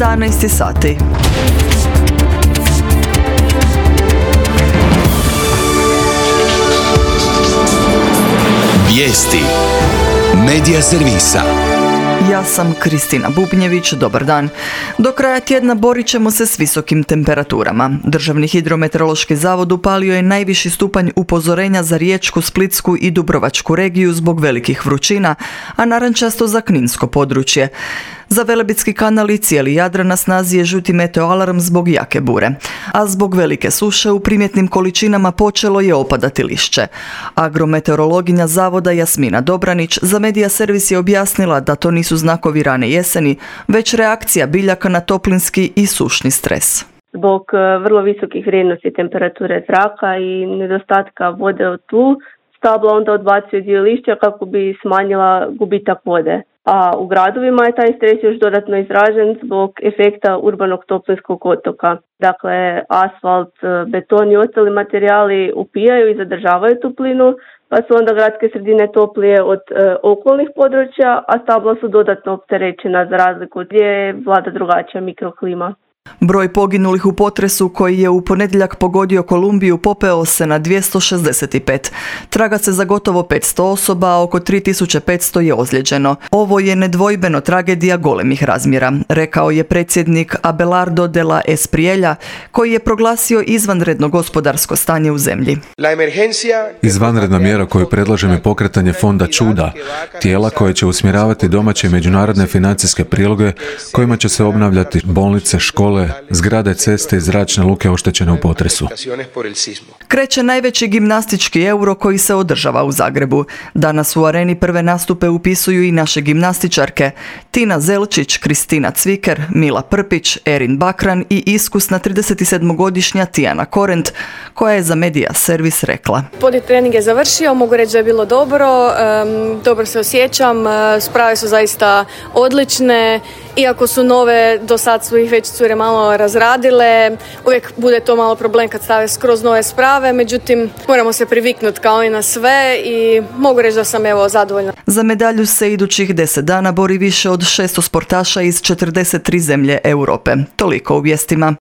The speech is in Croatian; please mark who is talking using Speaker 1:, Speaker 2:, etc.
Speaker 1: 11 sati.
Speaker 2: Vijesti Medija servisa.
Speaker 1: Ja sam Kristina Bubnjević, dobar dan. Do kraja tjedna borit ćemo se s visokim temperaturama. Državni hidrometeorološki zavod upalio je najviši stupanj upozorenja za Riječku, Splitsku i Dubrovačku regiju zbog velikih vrućina, a narančasto za kninsko područje. Za Velebitski kanal i cijeli Jadran na snazi je žuti meteoalarm zbog jake bure, a zbog velike suše u primjetnim količinama počelo je opadati lišće. Agrometeorologinja zavoda Jasmina Dobranić za Medija servis je objasnila da to nisu znakovi rane jeseni, već reakcija biljaka na toplinski i sušni stres.
Speaker 3: Zbog vrlo visokih vrijednosti temperature zraka i nedostatka vode u tlu, stabla onda odbacuje dio lišća kako bi smanjila gubitak vode. A u gradovima je taj stres još dodatno izražen zbog efekta urbanog toplinskog otoka. Dakle, asfalt, beton i ostali materijali upijaju i zadržavaju toplinu, pa su onda gradske sredine toplije od okolnih područja, a stabla su dodatno opterećena za razliku gdje vlada drugačija mikroklima.
Speaker 1: Broj poginulih u potresu koji je u ponedjeljak pogodio Kolumbiju popeo se na 265. Traga se za gotovo 500 osoba, a oko 3500 je ozlijeđeno. Ovo je nedvojbeno tragedija golemih razmjera, rekao je predsjednik Abelardo de la Espriella, koji je proglasio izvanredno gospodarsko stanje u zemlji.
Speaker 4: Izvanredna mjera koju predlažem je pokretanje fonda Čuda, tijela koje će usmjeravati domaće i međunarodne financijske priloge kojima će se obnavljati bolnice, škole, zgrade, ceste i zračne luke oštećene u potresu.
Speaker 1: Kreće najveći gimnastički euro koji se održava u Zagrebu. Danas u areni prve nastupe upisuju i naše gimnastičarke Tina Zelčić, Kristina Cviker, Mila Prpić, Erin Bakran i iskusna 37-godišnja Tijana Korent, koja je za Medija servis rekla:
Speaker 5: Body trening je završio, mogu reći da je bilo dobro se osjećam, sprave su zaista odlične, iako su nove, do sad su ih već cure malo razradile, uvijek bude to malo problem kad stave skroz nove sprave, međutim moramo se priviknuti kao i na sve i mogu reći da sam zadovoljna.
Speaker 1: Za medalju se idućih 10 dana bori više od 600 sportaša iz 43 zemlje Europe. Toliko u vijestima.